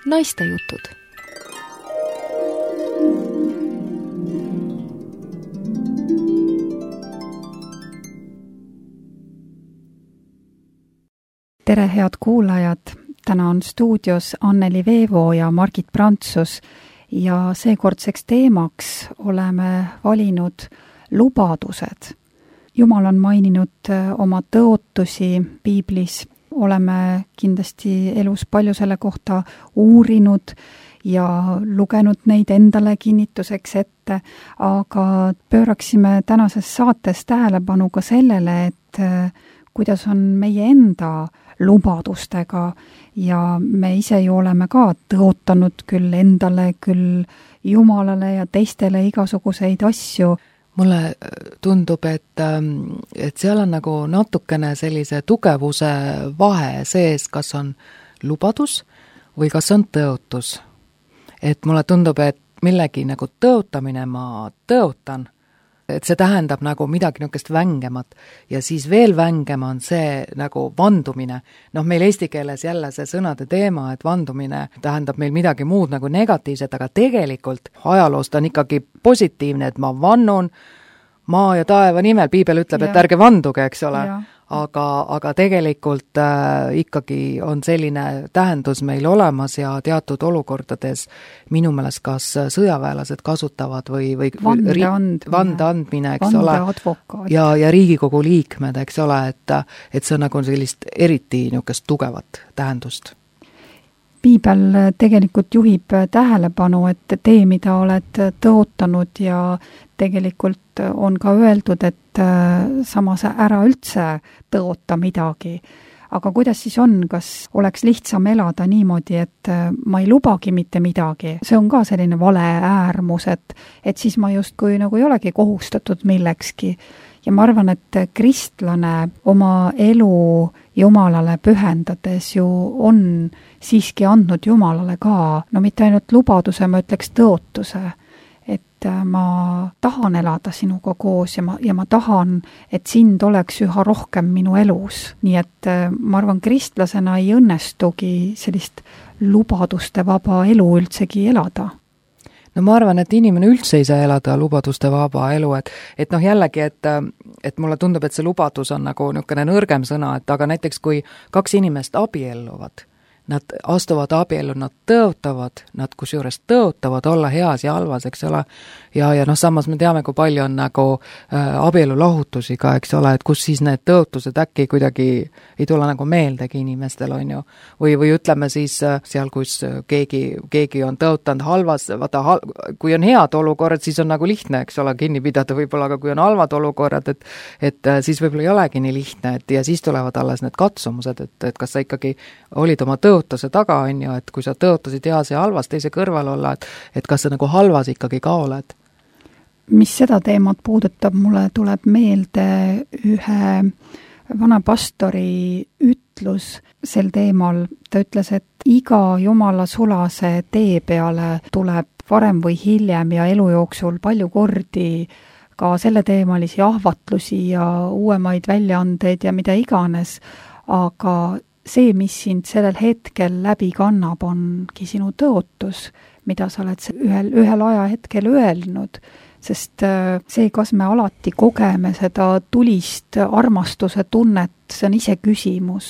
naistejutud. Tere, head kuulajad! Täna on stuudios Anneli Veevo ja Margit Prantsus ja seekordseks teemaks oleme valinud lubadused. Jumal on maininud oma tõotusi piiblis. Oleme kindlasti elus palju selle kohta uurinud ja lugenud neid endale kinnituseks ette, aga pööraksime tänases saates tähelepanu ka sellele, et kuidas on meie enda lubadustega ja me ise ju oleme ka tõotanud küll endale, küll Jumalale ja teistele igasuguseid asju. Mulle tundub, et seal on nagu natukene sellise tugevuse vahe sees, kas on lubadus või kas on tõotus. Et mulle tundub, et millegi nagu tõotamine ma tõotan, et see tähendab nagu midagi niisugust vängemat ja siis veel vängem on see nagu vandumine. Meil eesti keeles jälle see sõnade teema, et vandumine tähendab meil midagi muud nagu negatiivset, aga tegelikult ajaloost on ikkagi positiivne, et ma vannun maa ja taeva nimel. Piibel ütleb, et ärge vanduge, eks ole. Aga tegelikult ikkagi on selline tähendus meil olemas ja teatud olukordades minu meelest kas sõjaväelased kasutavad või vande andmine, eks ole, ja Riigikogu liikmed, eks ole, et see on nagu sellist eriti niisugust tugevat tähendust. Piibel tegelikult juhib tähelepanu, et tee, mida oled tõotanud ja tegelikult on ka öeldud, et samas ära üldse tõota midagi. Aga kuidas siis on, kas oleks lihtsam elada niimoodi, et ma ei lubagi mitte midagi? See on ka selline vale äärmus, et siis ma justkui nagu ei olegi kohustatud millekski. Ja ma arvan, et kristlane oma elu Jumalale pühendades ju on siiski andnud Jumalale ka, no mitte ainult lubaduse, ma ütleks tõotuse, et ma tahan elada sinuga koos ja ma tahan, et sind oleks üha rohkem minu elus. Nii et ma arvan, kristlasena ei õnnestugi sellist lubaduste vaba elu üldsegi elada. No ma arvan, et inimene üldse ei saa elada lubaduste vaba elu, et jällegi, et mulle tundub, et see lubadus on nagu niisugune nõrgem sõna, et aga näiteks kui kaks inimest abielluvad, nad astuvad abiellu, nad tõotavad, nad kusjuures tõotavad olla heas ja halvas, eks ole, ja samas me teame, kui palju on nagu abielulahutusi ka, eks ole, et kus siis need tõotused äkki kuidagi ei tule nagu meeldegi inimestel, on ju, või ütleme siis seal, kus keegi on tõotanud halvas, kui on head olukorrad, siis on nagu lihtne, eks ole, kinni pidada võib-olla, aga kui on halvad olukorrad, et siis võib-olla ei olegi nii lihtne, ja siis tulevad alles need katsumused, et kas sa ikkagi olid oma tõotuse taga, on ju, et kui sa tõotasid heas ja halvas teise kõrval olla, et kas sa nagu halvas ikkagi ka oled? Mis seda teemat puudutab, mulle tuleb meelde ühe vana pastori ütlus sel teemal. Ta ütles, et iga Jumala sulase tee peale tuleb varem või hiljem ja elu jooksul palju kordi ka selle teemalisi ahvatlusi ja uuemaid väljaandeid ja mida iganes, aga see, mis sind sellel hetkel läbi kannab, ongi sinu tõotus, mida sa oled ühel ajahetkel öelnud, sest see, kas me alati kogeme seda tulist armastuse tunnet, see on ise küsimus.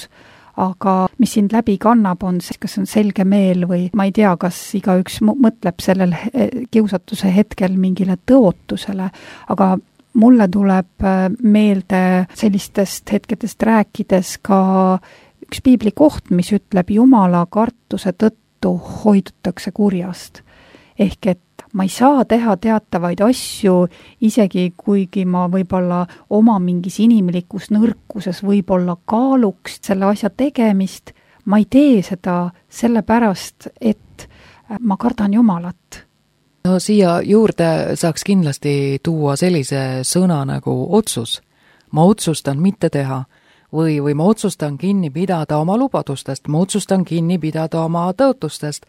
Aga mis sind läbi kannab, on see, kas on selge meel või ma ei tea, kas igaüks mõtleb sellel kiusatuse hetkel mingile tõotusele, aga mulle tuleb meelde sellistest hetkedest rääkides ka üks piibli koht, mis ütleb, Jumala kartuse tõttu hoidutakse kurjast. Ehk et ma ei saa teha teatavaid asju, isegi kuigi ma võib-olla oma mingis inimlikus nõrkuses võib-olla kaaluks selle asja tegemist, ma ei tee seda sellepärast, et ma kardan Jumalat. No siia juurde saaks kindlasti tuua sellise sõna nagu otsus. Ma otsustan mitte teha. Või ma otsustan kinni pidada oma lubadustest, ma otsustan kinni pidada oma tõotustest.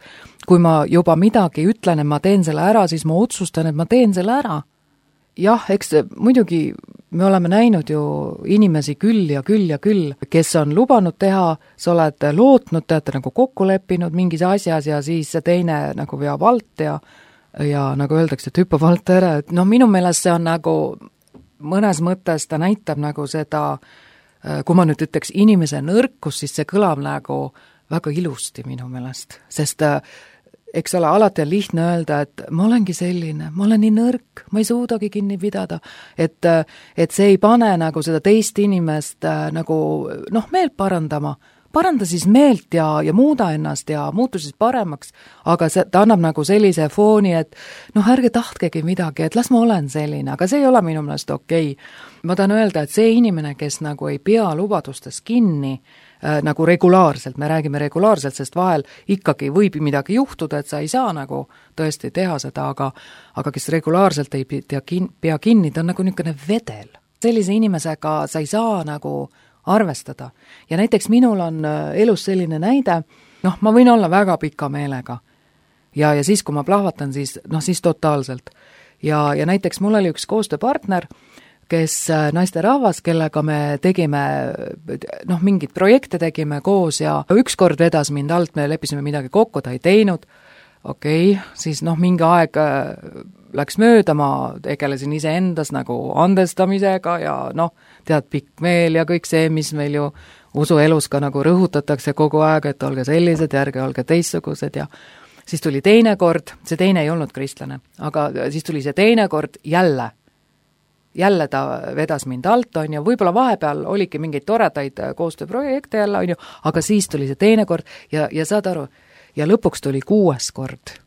Kui ma juba midagi ütlen, et ma teen selle ära, siis ma otsustan, et ma teen selle ära. jah, eks muidugi me oleme näinud ju inimesi küll ja küll ja küll, kes on lubanud teha, sa oled lootnud, te olete nagu kokku leppinud mingis asjas ja siis see teine nagu veab alt ja nagu öeldakse, et hüppab alt ära, et noh, minu meelest see on nagu mõnes mõttes ta näitab nagu seda, kui ma nüüd ütleks inimese nõrkus, siis see kõlab nagu väga ilusti minu meelest, sest eks ole, alati on lihtne öelda, et ma olengi selline, ma olen nii nõrk, ma ei suudagi kinni pidada, et see ei pane nagu seda teist inimest nagu noh, meelt paranda siis meelt ja muuda ennast ja muutu siis paremaks, aga ta annab nagu sellise fooni, et noh, ärge tahtkegi midagi, et las ma olen selline, aga see ei ole minu meelest okei. Ma tahan öelda, et see inimene, kes nagu ei pea lubadustes kinni, nagu regulaarselt, me räägime regulaarselt, sest vahel ikkagi võib midagi juhtuda, et sa ei saa nagu tõesti teha seda, aga kes regulaarselt ei pea kinni, ta on nagu niisugune vedel. Sellise inimesega sa ei saa nagu arvestada. Ja näiteks minul on elus selline näide, noh, ma võin olla väga pika meelega. Ja siis, kui ma plahvatan, siis totaalselt. Ja näiteks mul oli üks koostööpartner, kes naisterahvas, kellega me tegime, noh, mingid projekte tegime koos ja ükskord vedas mind alt, me leppisime midagi kokku, ta ei teinud, siis noh, mingi aeg läks mööda, ma tegelesin iseendas nagu andestamisega ja noh, tead, pikk meel ja kõik see, mis meil ju usuelus ka nagu rõhutatakse kogu aeg, et olge sellised, ärge olge teistsugused ja siis tuli teine kord, see teine ei olnud kristlane, aga siis tuli see teine kord jälle ta vedas mind alt, on ju, võib-olla vahepeal oligi mingeid toredaid koostööprojekte jälle, on ju, aga siis tuli see teine kord ja saad aru, ja lõpuks tuli 6. kord.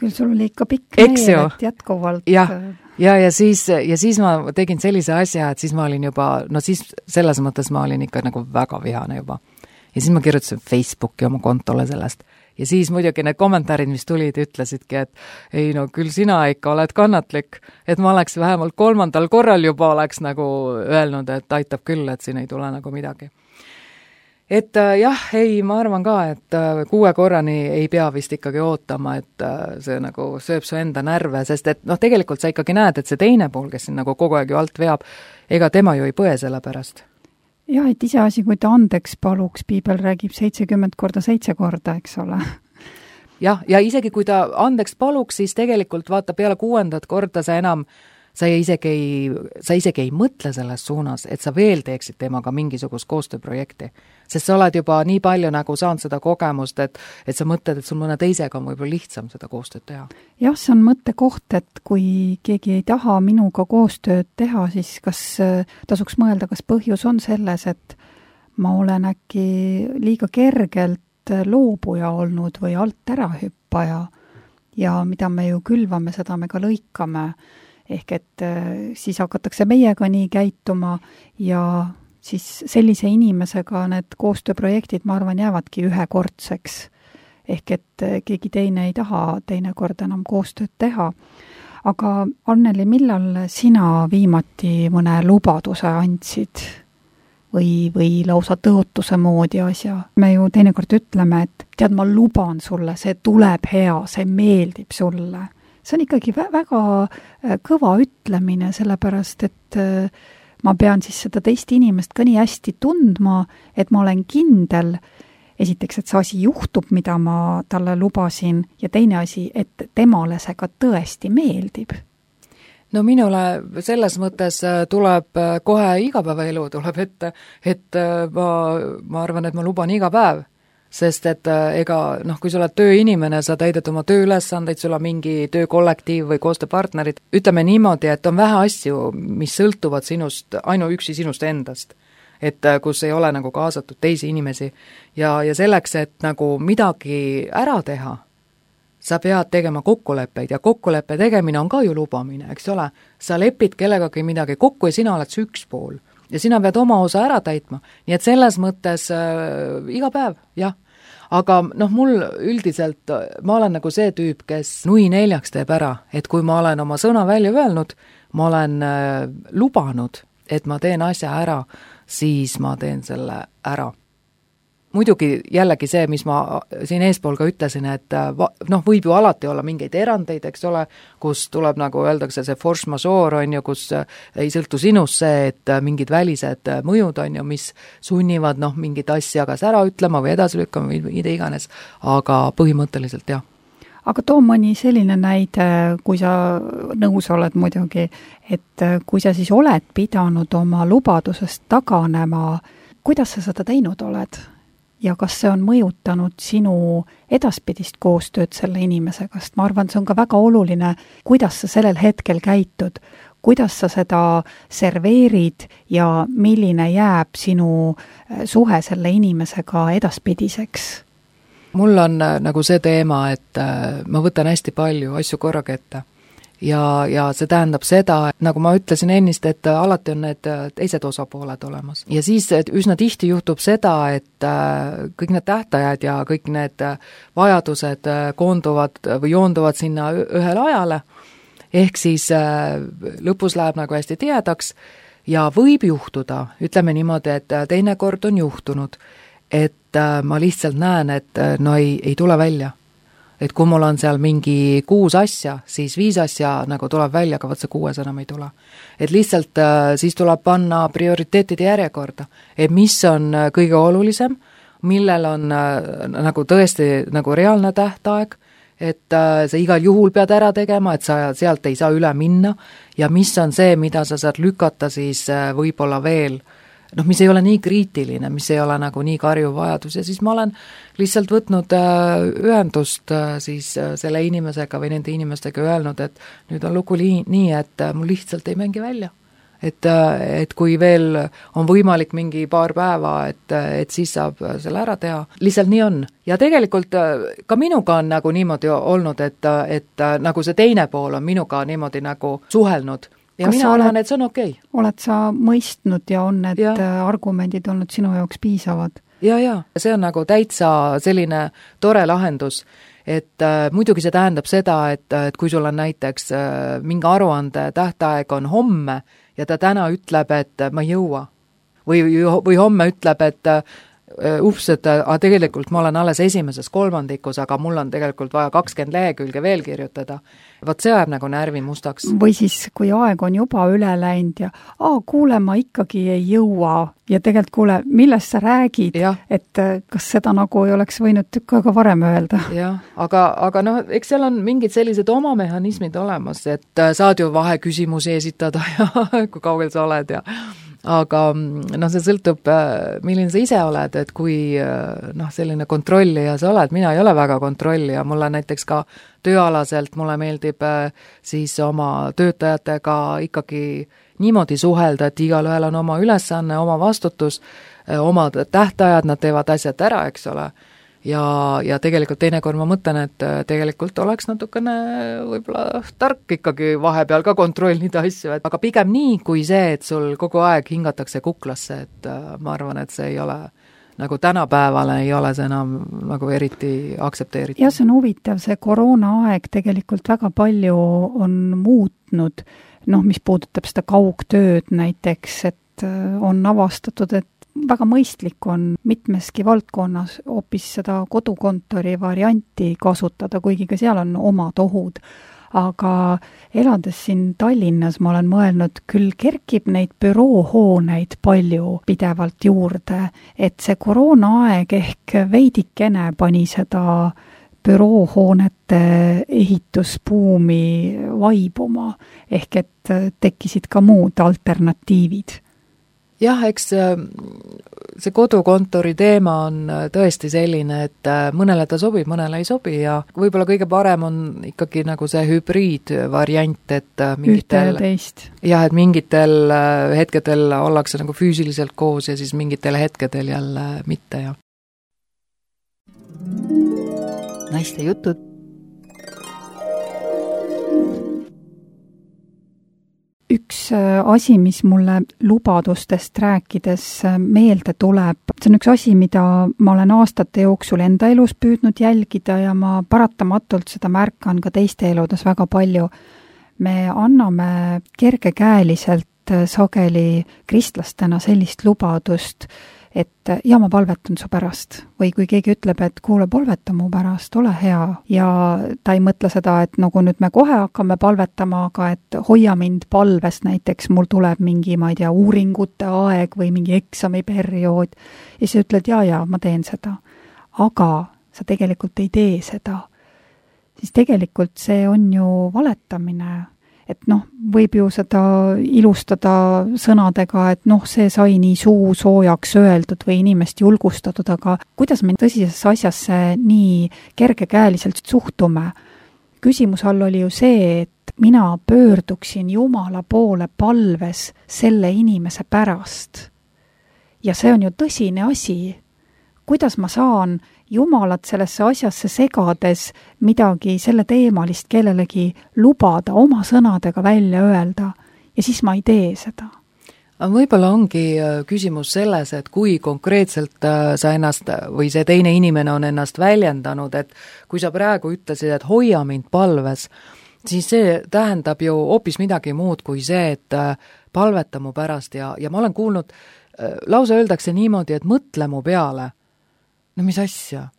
Küll sul oli ikka pikk meel, et jätkuvalt. Ja siis ma tegin sellise asja, et siis ma olin juba, no siis selles mõttes ma olin ikka nagu väga vihane juba. Ja siis ma kirjutasin Facebooki oma kontole sellest. Ja siis muidugi need kommentaarid, mis tulid, ütlesidki, et ei no küll sina ikka oled kannatlik, et ma oleks vähemalt 3. korral juba oleks nagu öelnud, et aitab küll, et siin ei tule nagu midagi. Et jah, ei, ma arvan ka, et 6 korrani ei pea vist ikkagi ootama, et see nagu sööb su enda närve, sest et noh, tegelikult sa ikkagi näed, et see teine pool, kes siin nagu kogu aeg ju alt veab, ega tema ju ei põe selle pärast. Jah, et iseasi, kui ta andeks paluks, piibel räägib 70 korda 7 korda, eks ole. Jah, ja isegi kui ta andeks paluks, siis tegelikult vaata peale 6. korda sa isegi ei mõtle selles suunas, et sa veel teeksid temaga mingisugust koostööprojekti. Sest sa oled juba nii palju nagu saanud seda kogemust, et sa mõtled, et sul mõne teisega on võib-olla lihtsam seda koostööd teha. Jah, see on mõttekoht, et kui keegi ei taha minuga koostööd teha, siis kas tasuks mõelda, kas põhjus on selles, et ma olen äkki liiga kergelt loobuja olnud või alt ära hüppaja ja mida me ju külvame, seda me ka lõikame. Ehk et siis hakatakse meiega nii käituma ja siis sellise inimesega need koostööprojektid, ma arvan, jäävadki ühekordseks. Ehk et keegi teine ei taha teinekord enam koostööd teha. Aga Anneli, millal sina viimati mõne lubaduse andsid või lausa tõotuse moodi asja? Me ju teinekord ütleme, et tead, ma luban sulle, see tuleb hea, see meeldib sulle. See on ikkagi väga kõva ütlemine, sellepärast, et ma pean siis seda teist inimest ka nii hästi tundma, et ma olen kindel, esiteks, et see asi juhtub, mida ma talle lubasin, ja teine asi, et temale see ka tõesti meeldib. No minule selles mõttes tuleb kohe igapäevaelu tuleb ette, et ma arvan, et ma luban iga päev. Sest et ega, noh, kui sa oled tööinimene, sa täidad oma tööülesandeid, sul on mingi töökollektiiv või koostööpartnerid, ütleme niimoodi, et on vähe asju, mis sõltuvad sinust, ainuüksi sinust endast. Et kus ei ole nagu kaasatud teisi inimesi ja selleks, et nagu midagi ära teha, sa pead tegema kokkuleppeid ja kokkuleppe tegemine on ka ju lubamine, eks ole? Sa lepid kellegagi midagi kokku ja sina oled see üks pool. Ja sina pead oma osa ära täitma. Nii et selles mõttes iga päev, jah. Aga noh, mul üldiselt, ma olen nagu see tüüp, kes nui 4 teeb ära, et kui ma olen oma sõna välja öelnud, ma olen lubanud, et ma teen asja ära, siis ma teen selle ära. muidugi jällegi see, mis ma siin eespool ka ütlesin, et noh, võib ju alati olla mingeid erandeid, eks ole, kus tuleb, nagu öeldakse, see force majeure on ju, kus ei sõltu sinust see, et mingid välised mõjud on ju, mis sunnivad noh, mingit asja kas ära ütlema või edasi lükkama või mida iganes, aga põhimõtteliselt jah. Aga too mõni selline näide, kui sa nõus oled muidugi, et kui sa siis oled pidanud oma lubadusest taganema, kuidas sa seda teinud oled? Ja kas see on mõjutanud sinu edaspidist koostööd selle inimesega, sest ma arvan, see on ka väga oluline, kuidas sa sellel hetkel käitud, kuidas sa seda serveerid ja milline jääb sinu suhe selle inimesega edaspidiseks? Mul on nagu see teema, et ma võtan hästi palju asju korraga ette. Ja see tähendab seda, et nagu ma ütlesin ennist, et alati on need teised osapooled olemas. Ja siis üsna tihti juhtub seda, et kõik need tähtajad ja kõik need vajadused koonduvad või joonduvad sinna ühele ajale, ehk siis lõpus läheb nagu hästi tihedaks ja võib juhtuda, ütleme niimoodi, et teinekord on juhtunud, et ma lihtsalt näen, et no ei tule välja. Et kui mul on seal mingi 6 asja, siis 5 asja nagu tuleb välja, aga võt see 6 enam ei tule. Et lihtsalt siis tuleb panna prioriteetide järjekorda, et mis on kõige olulisem, millel on nagu tõesti nagu reaalne tähtaeg, et sa igal juhul pead ära tegema, et sa sealt ei saa üle minna ja mis on see, mida sa saad lükata siis võib-olla veel noh, mis ei ole nii kriitiline, mis ei ole nagu nii karjuv vajadus ja siis ma olen lihtsalt võtnud ühendust siis selle inimesega või nende inimestega öelnud, et nüüd on lugu nii, et mul lihtsalt ei mängi välja. Et kui veel on võimalik mingi paar päeva, et siis saab selle ära teha. Lihtsalt nii on. Ja tegelikult ka minuga on nagu niimoodi olnud, et nagu see teine pool on minuga niimoodi nagu suhelnud. Ja mina arvan, et see on okei. Oled sa mõistnud ja on need argumendid olnud sinu jaoks piisavad? Ja, see on nagu täitsa selline tore lahendus, et muidugi see tähendab seda, et kui sul on näiteks mingi aruande tähtaeg on homme ja ta täna ütleb, et ma ei jõua või homme ütleb, et et tegelikult ma olen alles esimeses kolmandikus, aga mul on tegelikult vaja 20 lehekülge veel kirjutada. Vot see ajab nagu närvi mustaks. Või siis, kui aeg on juba üle läinud ja kuule, ma ikkagi ei jõua ja tegelikult kuule, millest sa räägid, et kas seda nagu ei oleks võinud tükk aega varem öelda? Jah, aga noh, eks seal on mingid sellised oma mehhanismid olemas, et saad ju vaheküsimusi esitada ja kui kaugel sa oled ja aga noh, see sõltub, milline sa ise oled, et kui noh, selline kontrollija sa oled, mina ei ole väga kontrollija, mulle näiteks ka tööalaselt mulle meeldib siis oma töötajatega ikkagi niimoodi suhelda, et igalühel on oma ülesanne, oma vastutus, oma tähtajad, nad teevad asjad ära, eks ole. Ja tegelikult teinekord ma mõtlen, et tegelikult oleks natukene võib-olla tark ikkagi vahepeal ka kontrollida asju, aga pigem nii kui see, et sul kogu aeg hingatakse kuklasse, et ma arvan, et see ei ole nagu tänapäevale ei ole see enam nagu eriti aktsepteeritud. Ja see on huvitav, see koroonaaeg tegelikult väga palju on muutnud, noh, mis puudutab seda kaugtööd näiteks, et on avastatud, et väga mõistlik on mitmeski valdkonnas hoopis seda kodukontori varianti kasutada, kuigi ka seal on omad ohud. Aga elades siin Tallinnas ma olen mõelnud, küll kerkib neid büroohooneid palju pidevalt juurde, et see koroonaaeg ehk veidikene pani seda büroohoonete ehitusbuumi vaibuma, ehk et tekkisid ka muud alternatiivid. Jah, eks see kodukontori teema on tõesti selline, et mõnele ta sobib, mõnele ei sobi ja võib-olla kõige parem on ikkagi nagu see hübriidvariant, et et mingitel hetkedel ollakse nagu füüsiliselt koos ja siis mingitel hetkedel jälle mitte. Ja. Naiste jutud. Üks asi, mis mulle lubadustest rääkides meelde tuleb, see on üks asi, mida ma olen aastate jooksul enda elus püüdnud jälgida ja ma paratamatult seda märkan ka teiste eludes väga palju. Me anname kergekäeliselt sageli kristlastena sellist lubadust, et ja ma palvetan su pärast. Või kui keegi ütleb, et kuule, palveta mu pärast, ole hea. Ja ta ei mõtle seda, et nagu nüüd me kohe hakkame palvetama, aga et hoia mind palves, näiteks mul tuleb mingi, ma ei tea, uuringute aeg või mingi eksamiperiood. Ja siis ütled, ja, ma teen seda. Aga sa tegelikult ei tee seda. Siis tegelikult see on ju valetamine. Et võib ju seda ilustada sõnadega, et see sai nii suu soojaks öeldud või inimest julgustatud, aga kuidas me tõsisesse asjasse nii kergekäeliselt suhtume? Küsimus all oli ju see, et mina pöörduksin Jumala poole palves selle inimese pärast. Ja see on ju tõsine asi. Kuidas ma saan Jumalat sellesse asjasse segades midagi selle teemalist kellelegi lubada, oma sõnadega välja öelda, ja siis ma ei tee seda. Võib-olla ongi küsimus selles, et kui konkreetselt sa ennast või see teine inimene on ennast väljendanud, et kui sa praegu ütlesid, et hoia mind palves, siis see tähendab ju hoopis midagi muud kui see, et palveta mu pärast ja ma olen kuulnud, lause öeldakse niimoodi, et mõtle mu peale. No mis asja?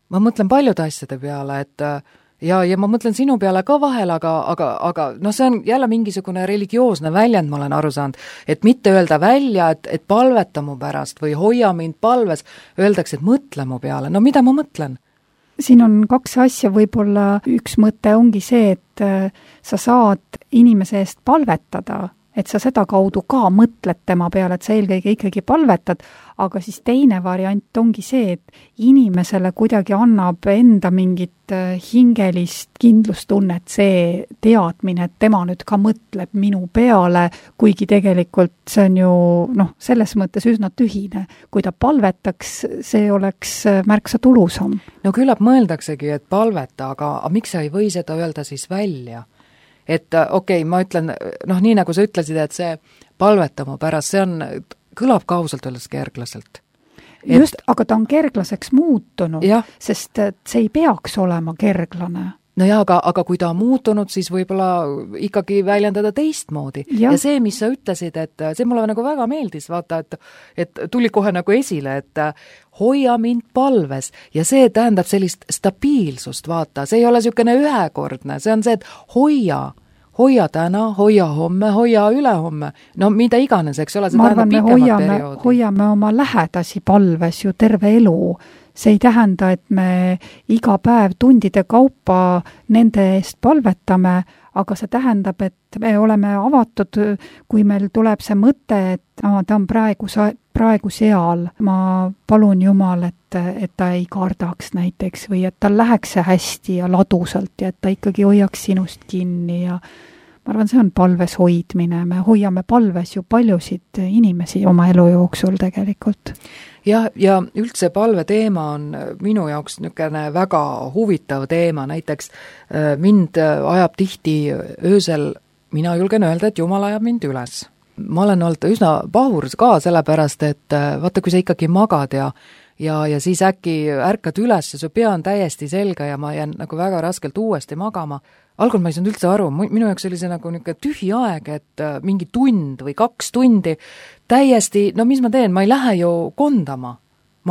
Ma mõtlen paljude asjade peale, et ja ma mõtlen sinu peale ka vahel, aga see on jälle mingisugune religioosne väljend, ma olen aru saanud, et mitte öelda välja, et palveta mu pärast või hoia mind palves, öeldakse, et mõtle mu peale. No mida ma mõtlen? Siin on kaks asja, võib-olla üks mõte ongi see, et sa saad inimese eest palvetada, et sa seda kaudu ka mõtled tema peale, et sa eelkõige ikkagi palvetad, aga siis teine variant ongi see, et inimesele kuidagi annab enda mingit hingelist kindlustunnet, see teadmine, et tema nüüd ka mõtleb minu peale, kuigi tegelikult see on ju selles mõttes üsna tühine. Kui ta palvetaks, see oleks märksa tulusam. No küllap mõeldaksegi, et palveta, aga miks sa ei või seda öelda siis välja? Et okei, ma ütlen, nii nagu sa ütlesid, et see palvetama pärast, see kõlab ka ausalt öeldes kerglaselt. Just, aga ta on kerglaseks muutunud, sest see ei peaks olema kerglane. No jaa, aga kui ta on muutunud, siis võib-olla ikkagi väljendada teistmoodi. Ja see, mis sa ütlesid, et see mulle nagu väga meeldis, vaata, et tuli kohe nagu esile, et hoia mind palves ja see tähendab sellist stabiilsust, vaata, see ei ole niisugune ühekordne, see on see, et hoia täna, hoia homme, hoia ülehomme, no mida iganes, eks ole, see tähendab pikemat perioodi. Hoiame oma lähedasi palves ju terve elu. See ei tähenda, et me iga päev tundide kaupa nende eest palvetame, aga see tähendab, et me oleme avatud, kui meil tuleb see mõte, et ta on praegu seal. Ma palun Jumal, et ta ei kardaks näiteks või et tal läheks see hästi ja ladusalt ja et ta ikkagi hoiaks sinust kinni ja ma arvan, see on palves hoidmine. Me hoiame palves ju paljusid inimesi oma elu jooksul tegelikult. Ja üldse palve teema on minu jaoks niisugune väga huvitav teema, näiteks mind ajab tihti öösel, mina julgen öelda, et Jumal ajab mind üles. Ma olen olnud üsna pahur ka sellepärast, et vaata, kui sa ikkagi magad ja siis äkki ärkad üles ja su pea on täiesti selge ja ma jään nagu väga raskelt uuesti magama. Algul ma ei saanud üldse aru, minu jaoks oli see nagu niisugune tühi aeg, et mingi tund või 2 tundi täiesti, mis ma teen, ma ei lähe ju kondama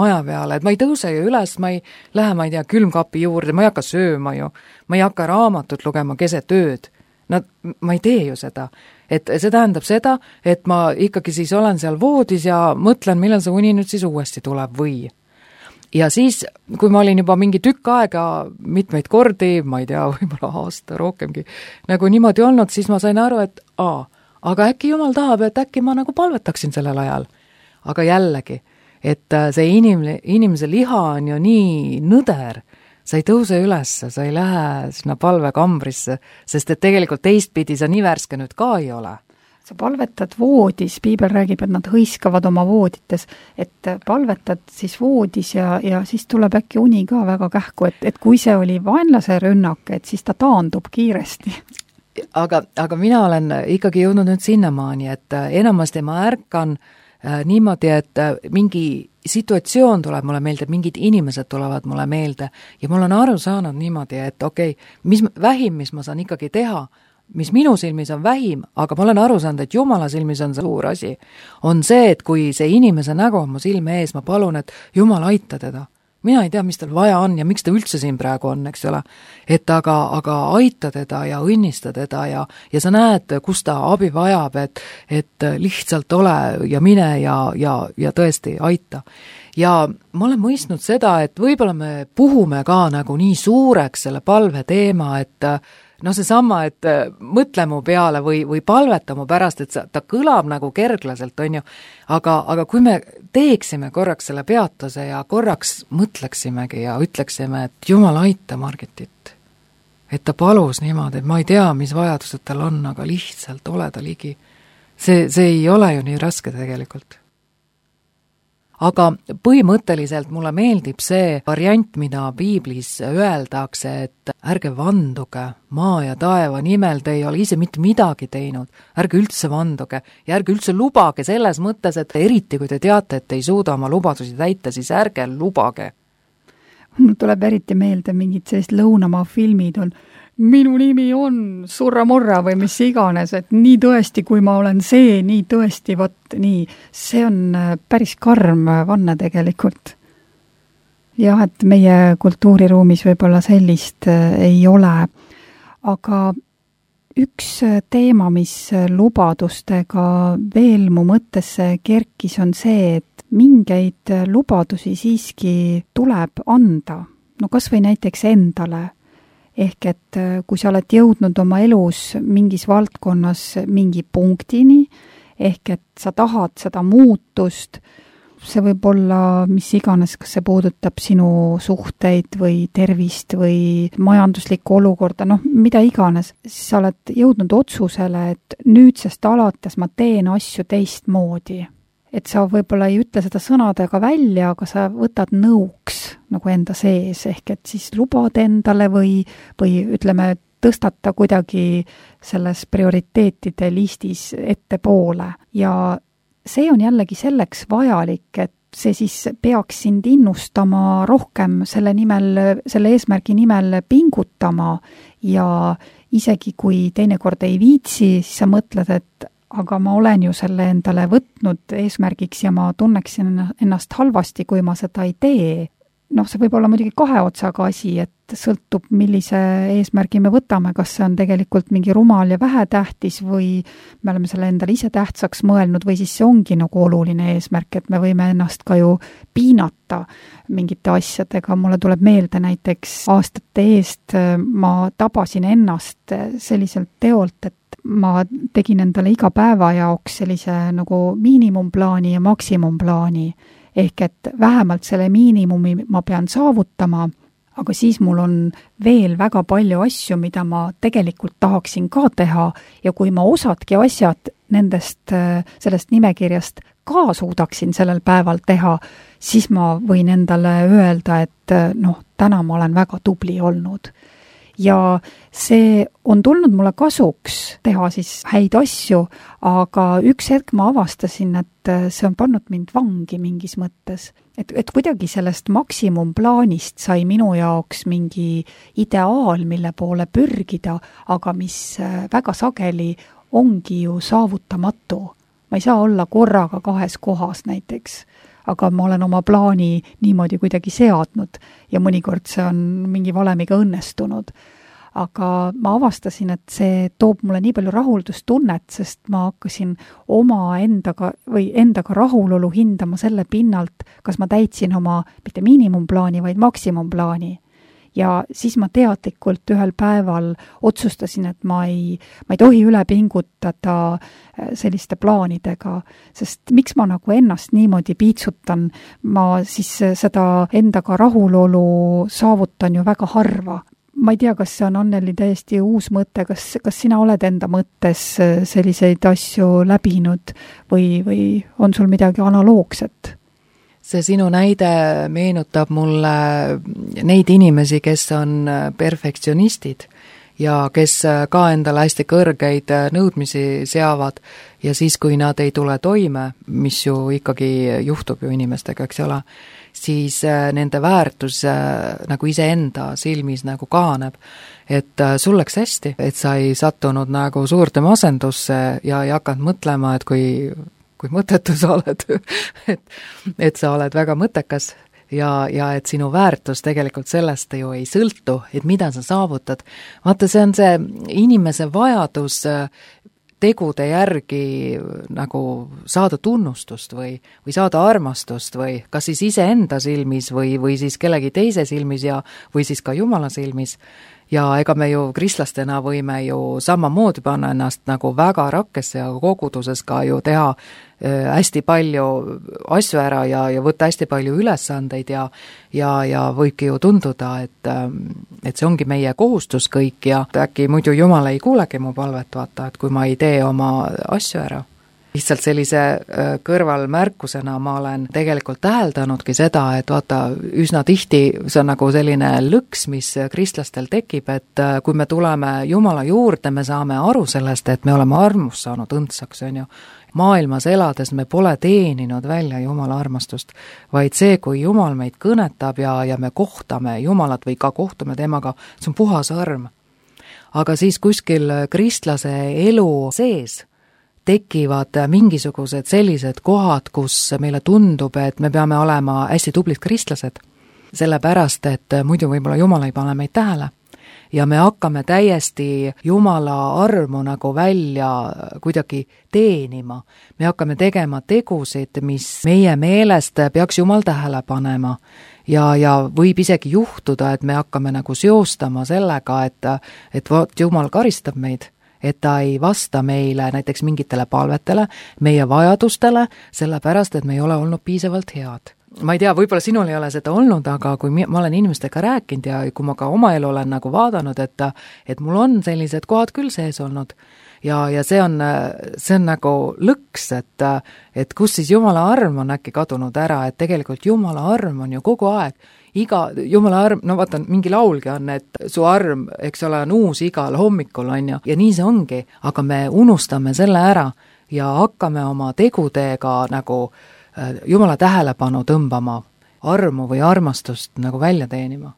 maja peale, et ma ei tõuse ju üles, ma ei lähe, ma ei tea, külmkapi juurde, ma ei hakka sööma ju, ma ei hakka raamatut lugema keset ööd. Ma ei tee ju seda. Et see tähendab seda, et ma ikkagi siis olen seal voodis ja mõtlen, millal see uni nüüd siis uuesti tuleb või. Ja siis, kui ma olin juba mingi tükk aega mitmeid kordi, ma ei tea, võib-olla aasta rohkemgi, nagu niimoodi olnud, siis ma sain aru, et aga äkki Jumal tahab, et äkki ma nagu palvetaksin sellel ajal. Aga jällegi, et see inimese liha on ju nii nõder, sa ei tõuse üles, sa ei lähe sinna palvekambrisse, sest et tegelikult teistpidi sa nii värske nüüd ka ei ole. Sa palvetad voodis, Piibel räägib, et nad hõiskavad oma voodites, et palvetad siis voodis ja siis tuleb äkki uni ka väga kähku, et kui see oli vaenlase rünnak, et siis ta taandub kiiresti. Aga mina olen ikkagi jõudnud nüüd sinnamaani, et enamasti ma ärkan niimoodi, et mingi situatsioon tuleb mulle meelde, mingid inimesed tulevad mulle meelde ja mul on aru saanud niimoodi, et okei, vähim, mis ma saan ikkagi teha, mis minu silmis on vähim, aga ma olen aru saanud, et Jumala silmis on see suur asi, on see, et kui see inimese nägu on mu silme ees, ma palun, et Jumal aita teda. Mina ei tea, mis tal vaja on ja miks ta üldse siin praegu on, eks ole. Et aga aita teda ja õnnista teda ja sa näed, kus ta abi vajab, et lihtsalt ole ja mine ja tõesti aita. Ja ma olen mõistnud seda, et võib-olla me puhume ka nagu nii suureks selle palve teema, et seesama, et mõtle mu peale või palveta mu pärast, et ta kõlab nagu kerglaselt, on ju, aga kui me teeksime korraks selle peatuse ja korraks mõtleksimegi ja ütleksime, et Jumal aita Margitit, et ta palus niimoodi, et ma ei tea, mis vajadused tal on, aga lihtsalt ole ta ligi. See ei ole ju nii raske tegelikult. Aga põhimõtteliselt mulle meeldib see variant, mida piiblis öeldakse, et ärge vanduge maa ja taeva nimel, te ei ole ise mitte midagi teinud, ärge üldse vanduge ja ärge üldse lubage selles mõttes, et eriti kui te teate, et ei suuda oma lubadusi täita, siis ärge lubage. Mul tuleb eriti meelde mingid sellist lõunamaa filmid on minu nimi on Surra-Murra või mis iganes, et nii tõesti, kui ma olen see, nii tõesti, vot nii. See on päris karm vanne tegelikult. Jah, et meie kultuuriruumis võib-olla sellist ei ole. Aga üks teema, mis lubadustega veel mu mõttesse kerkis, on see, et mingeid lubadusi siiski tuleb anda. No kas või näiteks endale. Ehk et kui sa oled jõudnud oma elus mingis valdkonnas mingi punktini, ehk et sa tahad seda muutust, see võib olla mis iganes, kas see puudutab sinu suhteid või tervist või majanduslikku olukorda, mida iganes, siis sa oled jõudnud otsusele, et nüüdsest alates ma teen asju teistmoodi. Et sa võib-olla ei ütle seda sõnadega välja, aga sa võtad nõuks nagu enda sees, ehk et siis lubad endale või ütleme, tõstata kuidagi selles prioriteetide listis ettepoole. Ja see on jällegi selleks vajalik, et see siis peaks sind innustama rohkem selle eesmärgi nimel pingutama ja isegi kui teinekord ei viitsi, siis sa mõtled, et aga ma olen ju selle endale võtnud eesmärgiks ja ma tunneksin ennast halvasti, kui ma seda ei tee. See võib olla muidugi kahe otsaga asi, et sõltub, millise eesmärgi me võtame, kas see on tegelikult mingi rumal ja vähetähtis või me oleme selle endale ise tähtsaks mõelnud või siis see ongi nagu oluline eesmärk, et me võime ennast ka ju piinata mingite asjadega. Mulle tuleb meelde näiteks aastate eest ma tabasin ennast selliselt teolt, et ma tegin endale iga päeva jaoks sellise nagu miinimumplaani ja maksimumplaani, ehk et vähemalt selle miinimumi ma pean saavutama, aga siis mul on veel väga palju asju, mida ma tegelikult tahaksin ka teha ja kui ma osadki asjad sellest nimekirjast ka suudaksin sellel päeval teha, siis ma võin endale öelda, et täna ma olen väga tubli olnud. Ja see on tulnud mulle kasuks teha siis häid asju, aga üks hetk ma avastasin, et see on pannud mind vangi mingis mõttes. Et kuidagi sellest maksimumplaanist sai minu jaoks mingi ideaal, mille poole pürgida, aga mis väga sageli ongi ju saavutamatu. Ma ei saa olla korraga kahes kohas näiteks, aga ma olen oma plaani niimoodi kuidagi seadnud ja mõnikord see on mingi valemiga õnnestunud. Aga ma avastasin, et see toob mulle nii palju rahuldustunnet, sest ma hakkasin endaga rahulolu hindama selle pinnalt, kas ma täitsin oma mitte miinimumplaani, vaid maksimumplaani. Ja siis ma teadlikult ühel päeval otsustasin, et ma ei tohi üle pingutada selliste plaanidega, sest miks ma nagu ennast niimoodi piitsutan, ma siis seda endaga rahulolu saavutan ju väga harva. Ma ei tea, kas see on Anneli täiesti uus mõte, kas sina oled enda mõttes selliseid asju läbinud või on sul midagi analoogset? See sinu näide meenutab mulle neid inimesi, kes on perfektsionistid ja kes ka endale hästi kõrgeid nõudmisi seavad ja siis, kui nad ei tule toime, mis ju ikkagi juhtub ju inimestega, eks ole, siis nende väärtus nagu iseenda silmis nagu kahaneb. Et sul läks hästi, et sa ei sattunud nagu suurde masendusse ja ei hakanud mõtlema, et kui mõttetu sa oled, et sa oled väga mõttekas ja et sinu väärtus tegelikult sellest ju ei sõltu, et mida sa saavutad. Vaata, see on see inimese vajadus tegude järgi nagu saada tunnustust või saada armastust või kas siis iseenda silmis või siis kellegi teise silmis või siis ka Jumala silmis. Ja ega me ju kristlastena võime ju samamoodi panna ennast nagu väga rakkesse ja koguduses ka ju teha hästi palju asju ära ja võtta hästi palju ülesandeid ja võibki ju tunduda, et see ongi meie kohustus kõik ja äkki muidu Jumal ei kuulegi mu palvet, vaata, et kui ma ei tee oma asju ära. Lihtsalt sellise kõrvalmärkusena ma olen tegelikult täheldanudki seda, et vaata, üsna tihti see on nagu selline lõks, mis kristlastel tekib, et kui me tuleme Jumala juurde, me saame aru sellest, et me oleme armust saanud õndsaks, on ju. Maailmas elades me pole teeninud välja Jumala armastust, vaid see, kui Jumal meid kõnetab ja me kohtame Jumalat või ka kohtume temaga, see on puhas arm. Aga siis kuskil kristlase elu sees tekivad mingisugused sellised kohad, kus meile tundub, et me peame olema hästi tublid kristlased, sellepärast, et muidu võib-olla Jumal ei pane meid tähele. Ja me hakkame täiesti Jumala armu nagu välja kuidagi teenima. Me hakkame tegema tegusid, mis meie meelest peaks Jumal tähele panema. Ja võib isegi juhtuda, et me hakkame nagu seostama sellega, et Jumal karistab meid, et ta ei vasta meile näiteks mingitele palvetele, meie vajadustele, sellepärast, et me ei ole olnud piisavalt head. Ma ei tea, võib-olla sinul ei ole seda olnud, aga kui ma olen inimestega rääkinud ja kui ma ka oma elu olen nagu vaadanud, et mul on sellised kohad küll sees olnud ja see on nagu lõks, et kus siis Jumala arm on äkki kadunud ära, et tegelikult Jumala arm on ju kogu aeg. Iga Jumala arm, no vaata, mingi laulgi on, et su arm, eks ole, on uus igal hommikul, on ju, ja nii see ongi, aga me unustame selle ära ja hakkame oma tegudega nagu Jumala tähelepanu tõmbama, armu või armastust nagu välja teenima.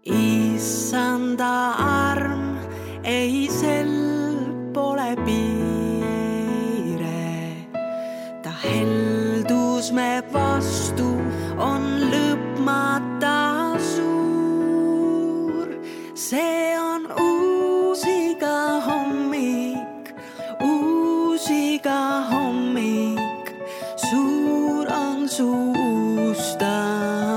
Issanda arm ei sel pole piire, ta heldus me vastu on lõpmata suur. See on uus iga hommik, suur on su ustavus.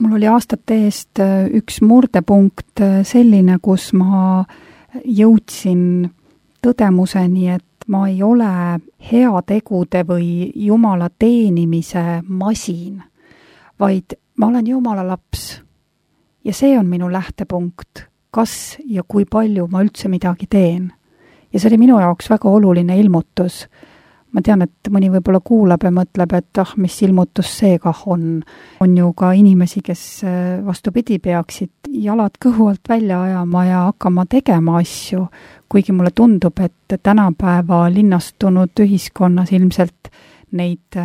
mul oli aastate eest üks murdepunkt selline, kus ma jõudsin tõdemuseni, et ma ei ole heategude või Jumala teenimise masin, vaid ma olen Jumala laps. Ja see on minu lähtepunkt, kas ja kui palju ma üldse midagi teen. Ja see oli minu jaoks väga oluline ilmutus. Ma tean, et mõni võib-olla kuulab ja mõtleb, et mis ilmutus see kah on. On ju ka inimesi, kes vastupidi peaksid jalad kõhu alt välja ajama ja hakkama tegema asju, kuigi mulle tundub, et tänapäeva linnastunud ühiskonnas ilmselt neid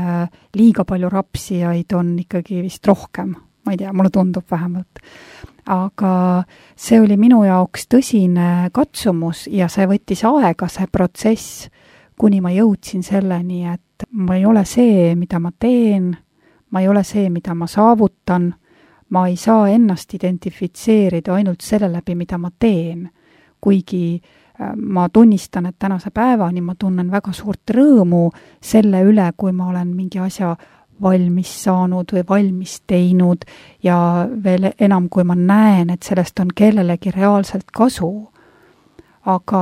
liiga palju rapsijaid on ikkagi vist rohkem. Ma ei tea, mulle tundub vähemalt. Aga see oli minu jaoks tõsine katsumus ja see võttis aega, see protsess, kuni ma jõudsin selleni, et ma ei ole see, mida ma teen, ma ei ole see, mida ma saavutan, ma ei saa ennast identifitseerida ainult selle läbi, mida ma teen, kuigi ma tunnistan, et tänase päevani ma tunnen väga suurt rõõmu selle üle, kui ma olen mingi asja valmis saanud või valmis teinud ja veel enam, kui ma näen, et sellest on kellelegi reaalselt kasu. Aga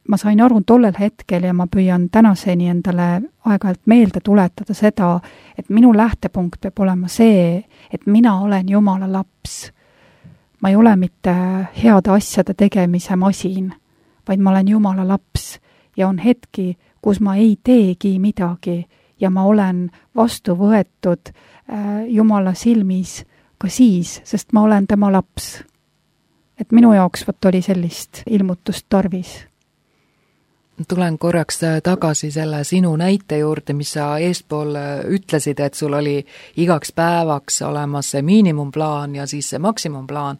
ma sain aru tollel hetkel ja ma püüan tänaseni endale aeg-ajalt meelde tuletada seda, et minu lähtepunkt peab olema see, et mina olen Jumala laps. Ma ei ole mitte heade asjade tegemise masin, vaid ma olen Jumala laps ja on hetki, kus ma ei teegi midagi ja ma olen vastu võetud Jumala silmis ka siis, sest ma olen tema laps. Et minu jaoks oli sellist ilmutust tarvis. Tulen korraks tagasi selle sinu näite juurde, mis sa eespool ütlesid, et sul oli igaks päevaks olemas see miinimumplaan ja siis see maksimumplaan,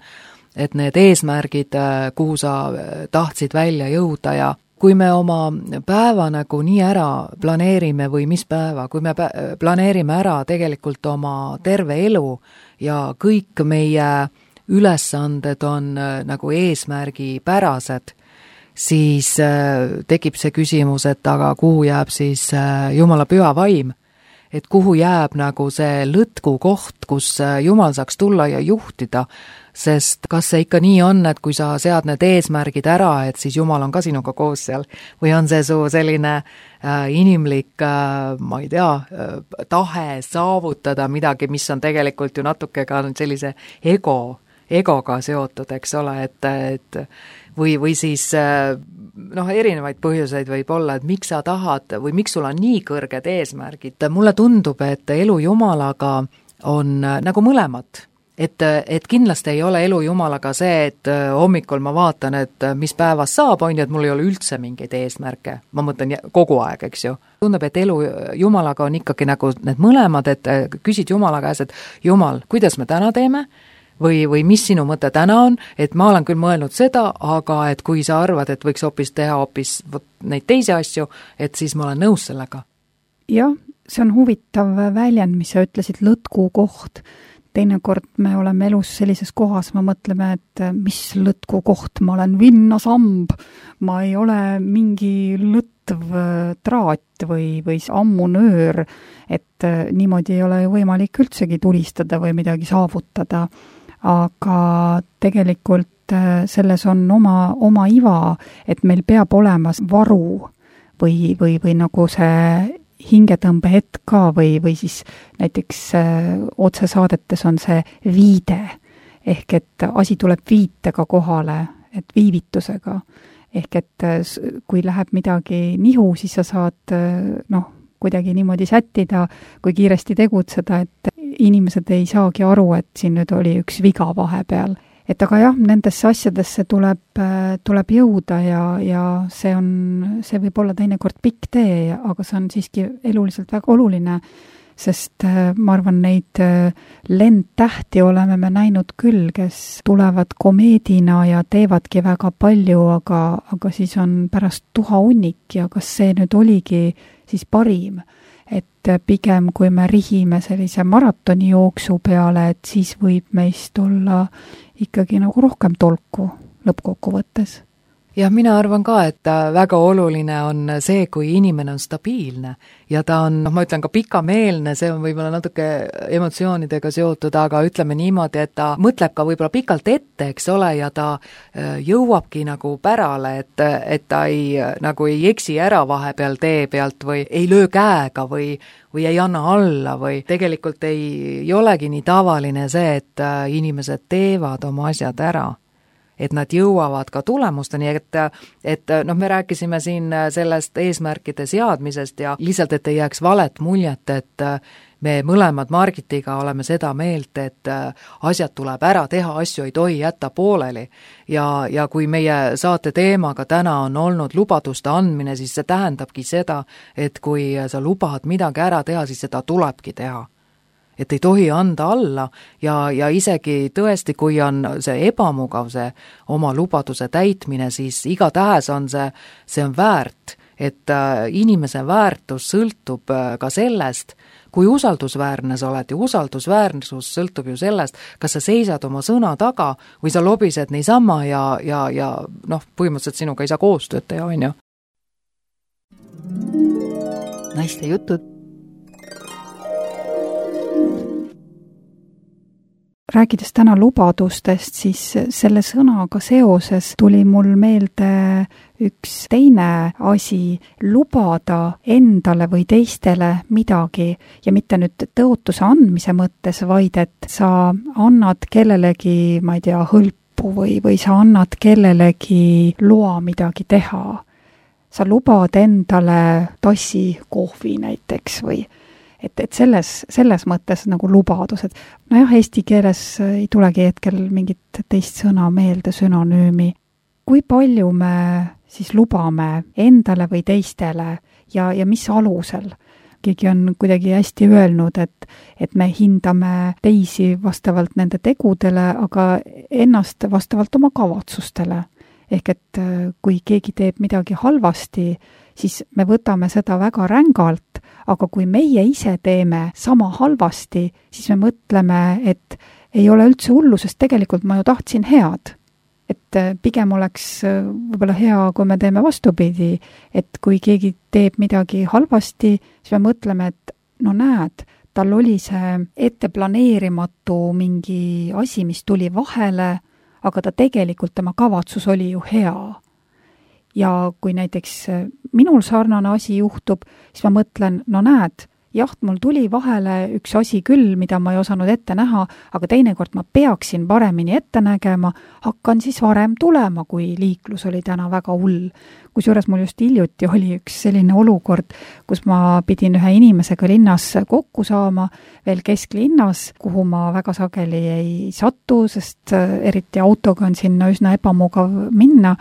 et need eesmärgid, kuhu sa tahtsid välja jõuda ja kui me oma päeva nagu nii ära planeerime või mis päeva, kui me planeerime ära tegelikult oma terve elu ja kõik meie ülesanded on nagu eesmärgipärased, siis tekib see küsimus, et aga kuhu jääb siis Jumala püha vaim? Et kuhu jääb nagu see lõtku koht, kus Jumal saaks tulla ja juhtida, sest kas see ikka nii on, et kui sa sead need eesmärgid ära, et siis Jumal on ka sinuga koos seal, või on see su selline inimlik, ma ei tea, tahe saavutada midagi, mis on tegelikult ju natuke ka sellise egoga seotud, eks ole, et või siis erinevaid põhjuseid võib olla, et miks sa tahad või miks sul on nii kõrged eesmärgid. Mulle tundub, et elu Jumalaga on nagu mõlemad. Et kindlasti ei ole elu Jumalaga see, et hommikul ma vaatan, et mis päevas saab, on ju, et mul ei ole üldse mingeid eesmärke. Ma mõtlen kogu aeg, eks ju. Tundub, et elu Jumalaga on ikkagi nagu need mõlemad, et küsid Jumala käes, et Jumal, kuidas me täna teeme? Või mis sinu mõte täna on, et ma olen küll mõelnud seda, aga et kui sa arvad, et võiks teha neid teisi asju, et siis ma olen nõus sellega. Jah, see on huvitav väljend, mis sa ütlesid, lõtku koht. Teinekord me oleme elus sellises kohas, ma mõtleme, et mis lõtku koht, ma olen vinnasamb, ma ei ole mingi lõtv traat või ammunöör, et niimoodi ei ole võimalik üldsegi tulistada või midagi saavutada. Aga tegelikult selles on oma iva, et meil peab olema varu või nagu see hingetõmbe hetk ka või siis näiteks otsesaadetes on see viide, ehk et asi tuleb viitega kohale, et viivitusega. Ehk et kui läheb midagi nihu, siis sa saad kuidagi niimoodi sättida, kui kiiresti tegutseda, et inimesed ei saagi aru, et siin nüüd oli üks viga vahepeal. Et aga jah, nendesse asjadesse tuleb jõuda ja see võib olla teinekord pikk tee, aga see on siiski eluliselt väga oluline, sest ma arvan, neid lendtähti oleme me näinud küll, kes tulevad komeedina ja teevadki väga palju, aga siis on pärast tuha hunnik ja kas see nüüd oligi siis parim, et pigem kui me rihime sellise maratoni jooksu peale, et siis võib meist olla ikkagi nagu rohkem tolku lõppkokkuvõttes. jah, mina arvan ka, et väga oluline on see, kui inimene on stabiilne ja ta on, ma ütlen ka pikameelne, see on võib-olla natuke emotsioonidega seotud, aga ütleme niimoodi, et ta mõtleb ka võib-olla pikalt ette, eks ole, ja ta jõuabki nagu pärale, et ta nagu ei eksi ära vahepeal tee pealt või ei löö käega või ei anna alla või tegelikult ei olegi nii tavaline see, et inimesed teevad oma asjad ära. Et nad jõuavad ka tulemusteni, et me rääkisime siin sellest eesmärkide seadmisest ja lihtsalt, et ei jääks valet muljet, et me mõlemad Margitiga oleme seda meelt, et asjad tuleb ära teha, asju ei tohi jätta pooleli. Ja kui meie saate teemaga täna on olnud lubaduste andmine, siis see tähendabki seda, et kui sa lubad midagi ära teha, siis seda tulebki teha. Et ei tohi anda alla ja isegi tõesti, kui on see ebamugav, see oma lubaduse täitmine, siis igatahes on see on väärt, et inimese väärtus sõltub ka sellest, kui usaldusväärne sa oled ja usaldusväärsus sõltub ju sellest, kas sa seisad oma sõna taga või sa lobised niisama ja põhimõtteliselt sinuga ei saa koostööd teha, on ju? Naiste jutud. Rääkides täna lubadustest, siis selle sõnaga seoses tuli mul meelde üks teine asi, lubada endale või teistele midagi ja mitte nüüd tõotuse andmise mõttes, vaid et sa annad kellelegi, ma ei tea, hõlpu või sa annad kellelegi loa midagi teha. Sa lubad endale tassi kohvi näiteks või et selles mõttes nagu lubadused. Nojah, eesti keeles ei tulegi hetkel mingit teist sõna meelde, sünonüümi. Kui palju me siis lubame endale või teistele ja mis alusel? Keegi on kuidagi hästi öelnud, et me hindame teisi vastavalt nende tegudele, aga ennast vastavalt oma kavatsustele. Ehk et kui keegi teeb midagi halvasti, siis me võtame seda väga rängalt, aga kui meie ise teeme sama halvasti, siis me mõtleme, et ei ole üldse hullu, sest tegelikult ma ju tahtsin head. Et pigem oleks võib-olla hea, kui me teeme vastupidi, et kui keegi teeb midagi halvasti, siis me mõtleme, et no näed, tal oli see etteplaneerimatu mingi asi, mis tuli vahele, aga ta tegelikult, tema kavatsus oli ju hea. Ja kui näiteks minul sarnane asi juhtub, siis ma mõtlen, no näed, jah, mul tuli vahele üks asi küll, mida ma ei osanud ette näha, aga teinekord ma peaksin paremini ette nägema, hakkan siis varem tulema, kui liiklus oli täna väga hull. Kusjuures mul just hiljuti oli üks selline olukord, kus ma pidin ühe inimesega linnas kokku saama, veel kesklinnas, kuhu ma väga sageli ei satu, sest eriti autoga on sinna üsna ebamugav minna.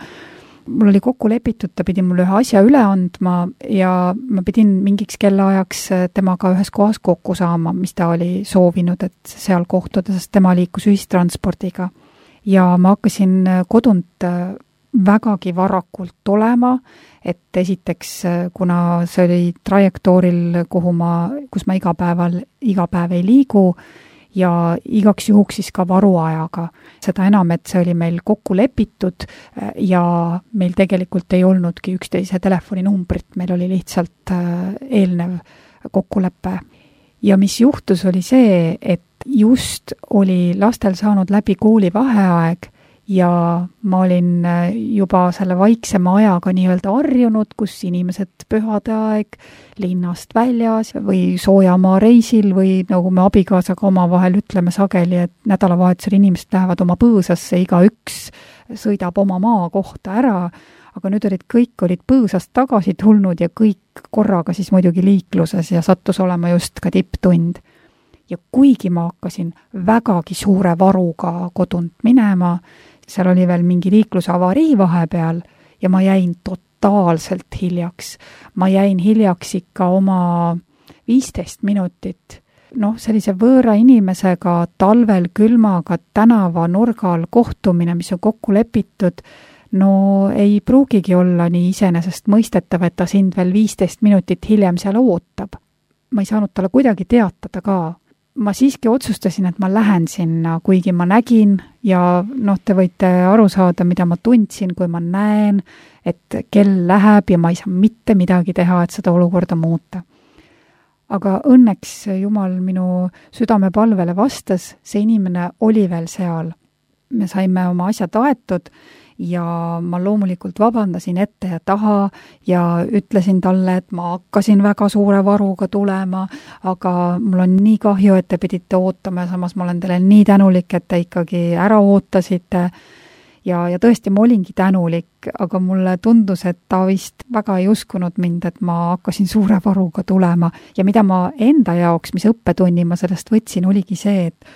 Mul oli kokku lepitud, ta pidi mulle ühe asja üle andma ja ma pidin mingiks kellaajaks temaga ühes kohas kokku saama, mis ta oli soovinud, et seal kohtuda, sest tema liikus ühistranspordiga. Ja ma hakkasin kodunt vägagi varakult olema, et esiteks, kuna see oli trajektooril, kus ma iga päev ei liigu, ja igaks juhuks siis ka varuajaga. Seda enam, et see oli meil kokku lepitud ja meil tegelikult ei olnudki üksteise telefoninumbrit, meil oli lihtsalt eelnev kokkulepe. Ja mis juhtus oli see, et just oli lastel saanud läbi kooli vaheaeg ja ma olin juba selle vaiksema ajaga nii-öelda harjunud, kus inimesed pühade aeg linnast väljas või soojamaa reisil või nagu me abikaasaga omavahel ütleme sageli, et nädalavahetusel inimesed lähevad oma põõsasse, igaüks sõidab oma maa kohta ära, aga nüüd kõik olid põõsast tagasi tulnud ja kõik korraga siis muidugi liikluses ja sattus olema just ka tipptund. Ja kuigi ma hakkasin vägagi suure varuga kodunt minema, seal oli veel mingi liiklusavarii vahepeal ja ma jäin totaalselt hiljaks. Ma jäin hiljaks ikka oma 15 minutit. Sellise võõra inimesega talvel külmaga tänava nurgal kohtumine, mis on kokku lepitud, ei pruugigi olla nii iseenesest mõistetav, et ta sind veel 15 minutit hiljem seal ootab. Ma ei saanud talle kuidagi teatada ka. ma siiski otsustasin, et ma lähen sinna, kuigi ma nägin ja te võite aru saada, mida ma tundsin, kui ma näen, et kell läheb ja ma ei saa mitte midagi teha, et seda olukorda muuta. Aga õnneks Jumal minu südamepalvele vastas, see inimene oli veel seal. Me saime oma asjad aetud ja ma loomulikult vabandasin ette ja taha ja ütlesin talle, et ma hakkasin väga suure varuga tulema, aga mul on nii kahju, et te pidite ootama ja samas ma olen teile nii tänulik, et te ikkagi ära ootasite. Ja tõesti, ma olingi tänulik, aga mulle tundus, et ta vist väga ei uskunud mind, et ma hakkasin suure varuga tulema. Ja mida ma enda jaoks, mis õppetunni ma sellest võtsin, oligi see, et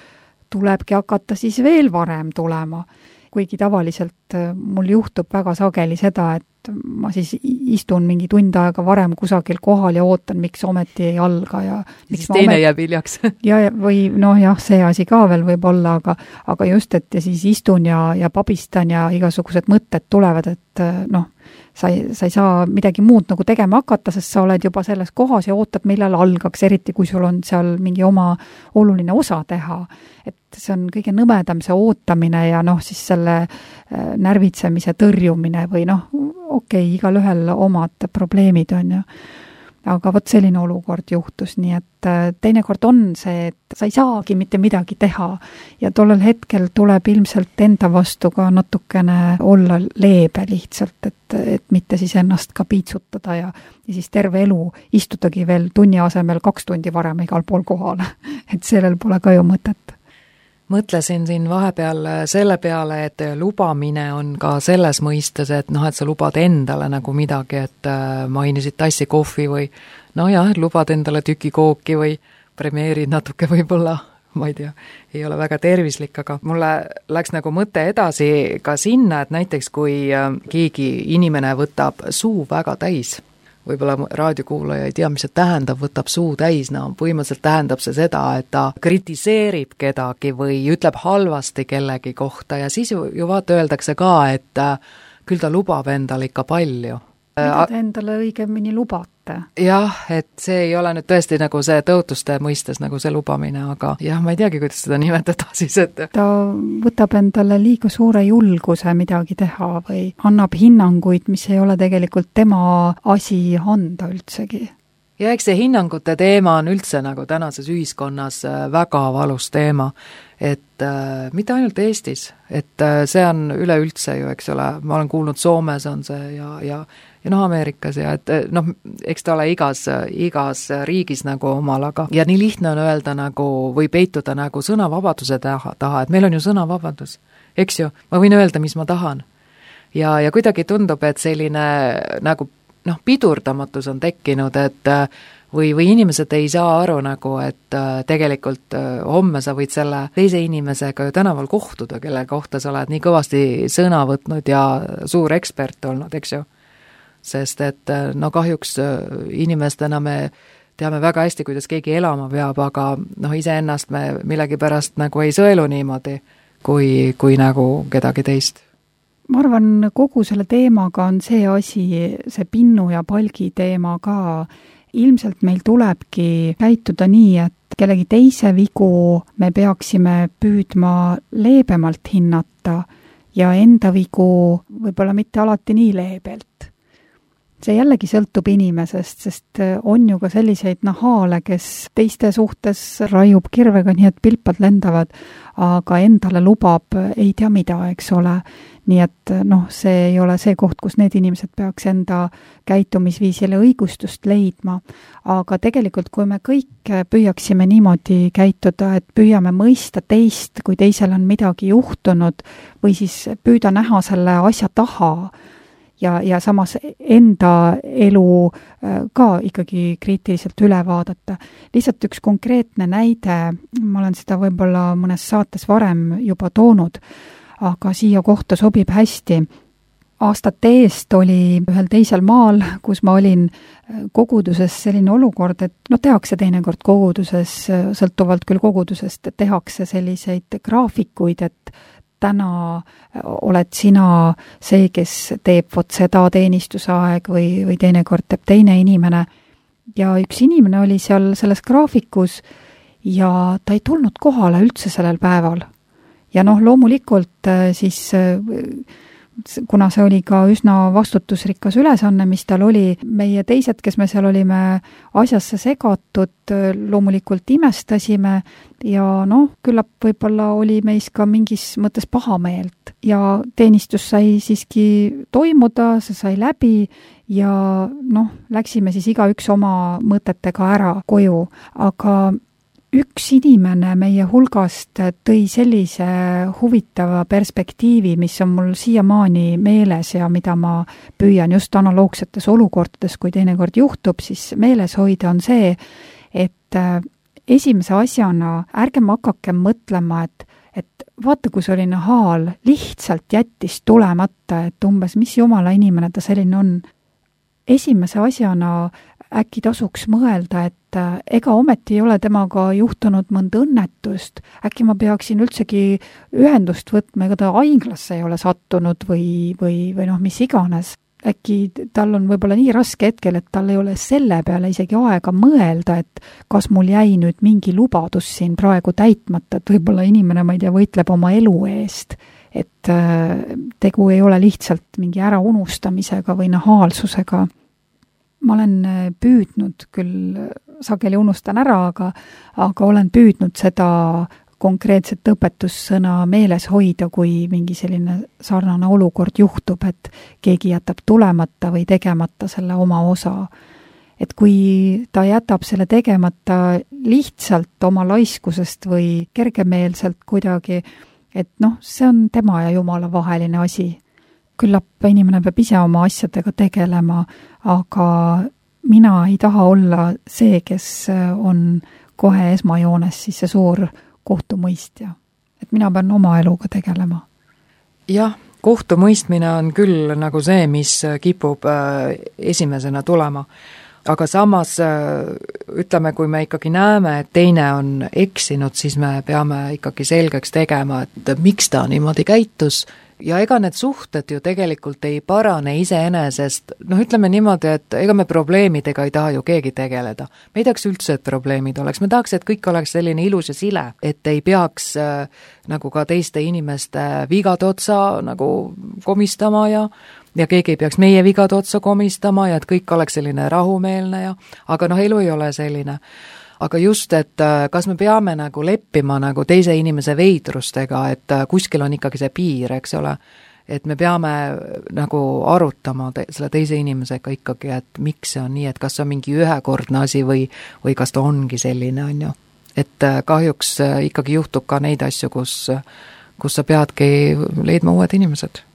tulebki hakata siis veel varem tulema. Kuigi tavaliselt mul juhtub väga sageli seda, et ma siis istun mingi tund aega varem kusagil kohal ja ootan, miks ometi ei alga. Ja siis teine jääb hiljaks. Või see asi ka veel võib olla, aga just, et ja siis istun ja pabistan ja igasugused mõtted tulevad, et sa ei saa midagi muud nagu tegema hakata, sest sa oled juba selles kohas ja ootad, millal algaks, eriti kui sul on seal mingi oma oluline osa teha. Et see on kõige nõmedam see ootamine ja siis selle närvitsemise tõrjumine või okei, igalühel omad probleemid on ju. Aga vot selline olukord juhtus, nii et teinekord on see, et sa ei saagi mitte midagi teha ja tollel hetkel tuleb ilmselt enda vastu ka natukene olla leebe lihtsalt, et mitte siis ennast ka piitsutada ja siis terve elu istutagi veel tunni asemel 2 tundi varem igal pool kohal, et sellel pole ka ju mõtet. Mõtlesin siin vahepeal selle peale, et lubamine on ka selles mõistes, et et sa lubad endale nagu midagi, et mainisid tassi kohvi või lubad endale tüki kooki või premeerid natuke võib-olla, ma ei tea, ei ole väga tervislik, aga mulle läks nagu mõte edasi ka sinna, et näiteks kui keegi inimene võtab suu väga täis, võib-olla raadiokuulaja ei tea, mis see tähendab, võtab suu täis, põhimõtteliselt tähendab see seda, et ta kritiseerib kedagi või ütleb halvasti kellegi kohta ja siis ju vaata öeldakse ka, et küll ta lubab endale ikka palju. Mida te endale õigemini lubate? Jah, et see ei ole nüüd tõesti nagu see tõotuste mõistes nagu see lubamine, aga ma ei teagi, kuidas seda nimetada siis, et ta võtab endale liiga suure julguse midagi teha või annab hinnanguid, mis ei ole tegelikult tema asi anda üldsegi. Ja eks see hinnangute teema on üldse nagu tänases ühiskonnas väga valus teema, et mitte ainult Eestis, et see on üleüldse ju, eks ole, ma olen kuulnud Soomes on see ja Ameerikas ja et eks ta ole igas riigis nagu omal, aga ja nii lihtne on öelda nagu või peituda nagu sõnavabaduse taha, et meil on ju sõnavabadus, eks ju, ma võin öelda, mis ma tahan. Ja kuidagi tundub, et selline nagu pidurdamatus on tekkinud, et või inimesed ei saa aru nagu, et tegelikult homme sa võid selle teise inimesega ju tänaval kohtuda, kelle kohta sa oled nii kõvasti sõna võtnud ja suur ekspert olnud, eks ju. Sest et kahjuks inimestena me teame väga hästi, kuidas keegi elama peab, aga iseennast me millegipärast nagu ei sõelu niimoodi, kui nagu kedagi teist. Ma arvan, kogu selle teemaga on see asi, see pinnu ja palgi teema ka. Ilmselt meil tulebki käituda nii, et kellegi teise vigu me peaksime püüdma leebemalt hinnata ja enda vigu võib-olla mitte alati nii leebelt. See jällegi sõltub inimesest, sest on ju ka selliseid nahaale, kes teiste suhtes raiub kirvega nii, et pilpad lendavad, aga endale lubab ei tea mida, eks ole. Nii et see ei ole see koht, kus need inimesed peaks enda käitumisviisile õigustust leidma. Aga tegelikult, kui me kõik püüaksime niimoodi käituda, et püüame mõista teist, kui teisel on midagi juhtunud, või siis püüda näha selle asja taha, ja samas enda elu ka ikkagi kriitiliselt üle vaadata. Lihtsalt üks konkreetne näide, ma olen seda võib-olla mõnes saates varem juba toonud, aga siia kohta sobib hästi. Aastate eest oli ühel teisel maal, kus ma olin koguduses selline olukord, et tehakse teinekord koguduses, sõltuvalt küll kogudusest, tehakse selliseid graafikuid, et täna oled sina see, kes teeb vot seda teenistusaeg või teinekord teeb teine inimene. Ja üks inimene oli seal selles graafikus ja ta ei tulnud kohale üldse sellel päeval. Ja loomulikult siis kuna see oli ka üsna vastutusrikas ülesanne, mis tal oli, meie teised, kes me seal olime asjasse segatud, loomulikult imestasime ja küllap võib-olla oli meis ka mingis mõttes pahameelt ja teenistus sai siiski toimuda, see sai läbi ja läksime siis igaüks oma mõtetega ära koju, aga üks inimene meie hulgast tõi sellise huvitava perspektiivi, mis on mul siiamaani meeles ja mida ma püüan just analoogsetes olukordades, kui teinekord juhtub, siis meeles hoida on see, et esimese asjana ärgem hakakem mõtlema, et vaata, kui selline haal lihtsalt jättis tulemata, et umbes mis jumala inimene ta selline on. Esimese asjana äkki tasuks mõelda, et ega ometi ei ole temaga juhtunud mõnda õnnetust, äkki ma peaksin üldsegi ühendust võtma, ega ta haiglasse ei ole sattunud või mis iganes. Äkki tal on võib-olla nii raske hetkel, et tal ei ole selle peale isegi aega mõelda, et kas mul jäi nüüd mingi lubadus siin praegu täitmata, et võib-olla inimene, ma ei tea, võitleb oma elu eest, et tegu ei ole lihtsalt mingi äraunustamisega või nahaalsusega. Ma olen püüdnud, küll sageli unustan ära, aga olen püüdnud seda konkreetset õpetussõna meeles hoida, kui mingi selline sarnane olukord juhtub, et keegi jätab tulemata või tegemata selle oma osa. Et kui ta jätab selle tegemata lihtsalt oma laiskusest või kergemeelselt kuidagi, et see on tema ja Jumala vaheline asi. Küllap inimene peab ise oma asjadega tegelema, aga mina ei taha olla see, kes on kohe esmajoones siis see suur kohtumõistja. Et mina pean oma eluga tegelema. Jah, kohtumõistmine on küll nagu see, mis kipub esimesena tulema. Aga samas ütleme, kui me ikkagi näeme, et teine on eksinud, siis me peame ikkagi selgeks tegema, et miks ta niimoodi käitus. Ja ega need suhted ju tegelikult ei parane iseenesest, ütleme niimoodi, et ega me probleemidega ei taha ju keegi tegeleda. Me ei tahaks üldse, et probleemid oleks, me tahaks, et kõik oleks selline ilus ja sile, et ei peaks nagu ka teiste inimeste vigade otsa nagu komistama ja keegi ei peaks meie vigade otsa komistama ja et kõik oleks selline rahumeelne aga elu ei ole selline. Aga just, et kas me peame nagu leppima nagu teise inimese veidrustega, et kuskil on ikkagi see piir, eks ole, et me peame nagu arutama selle teise inimesega ikkagi, et miks see on nii, et kas see on mingi ühekordne asi või kas ta ongi selline, on ju. Et kahjuks ikkagi juhtub ka neid asju, kus sa peadki leidma uued inimesed.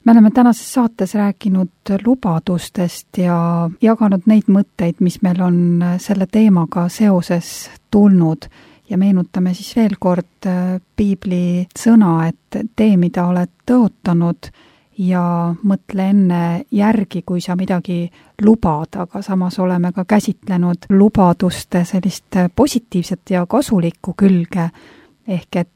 Me oleme tänases saates rääkinud lubadustest ja jaganud neid mõtteid, mis meil on selle teemaga seoses tulnud ja meenutame siis veel kord piibli sõna, et tee, mida oled tõotanud ja mõtle enne järgi, kui sa midagi lubad, aga samas oleme ka käsitlenud lubaduste sellist positiivset ja kasulikku külge, ehk et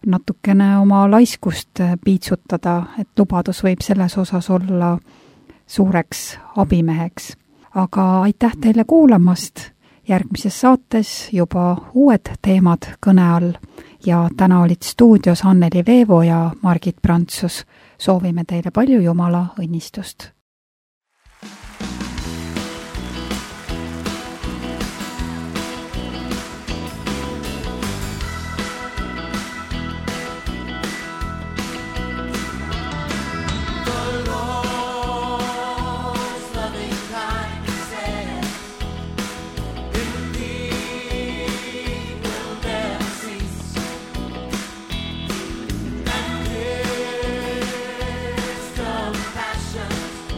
natukene oma laiskust piitsutada, et lubadus võib selles osas olla suureks abimeheks. Aga aitäh teile kuulamast, järgmises saates juba uued teemad kõne all ja täna olid stuudios Anneli Veevo ja Margit Prantsus. Soovime teile palju Jumala õnnistust. Passion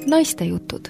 Naistejutud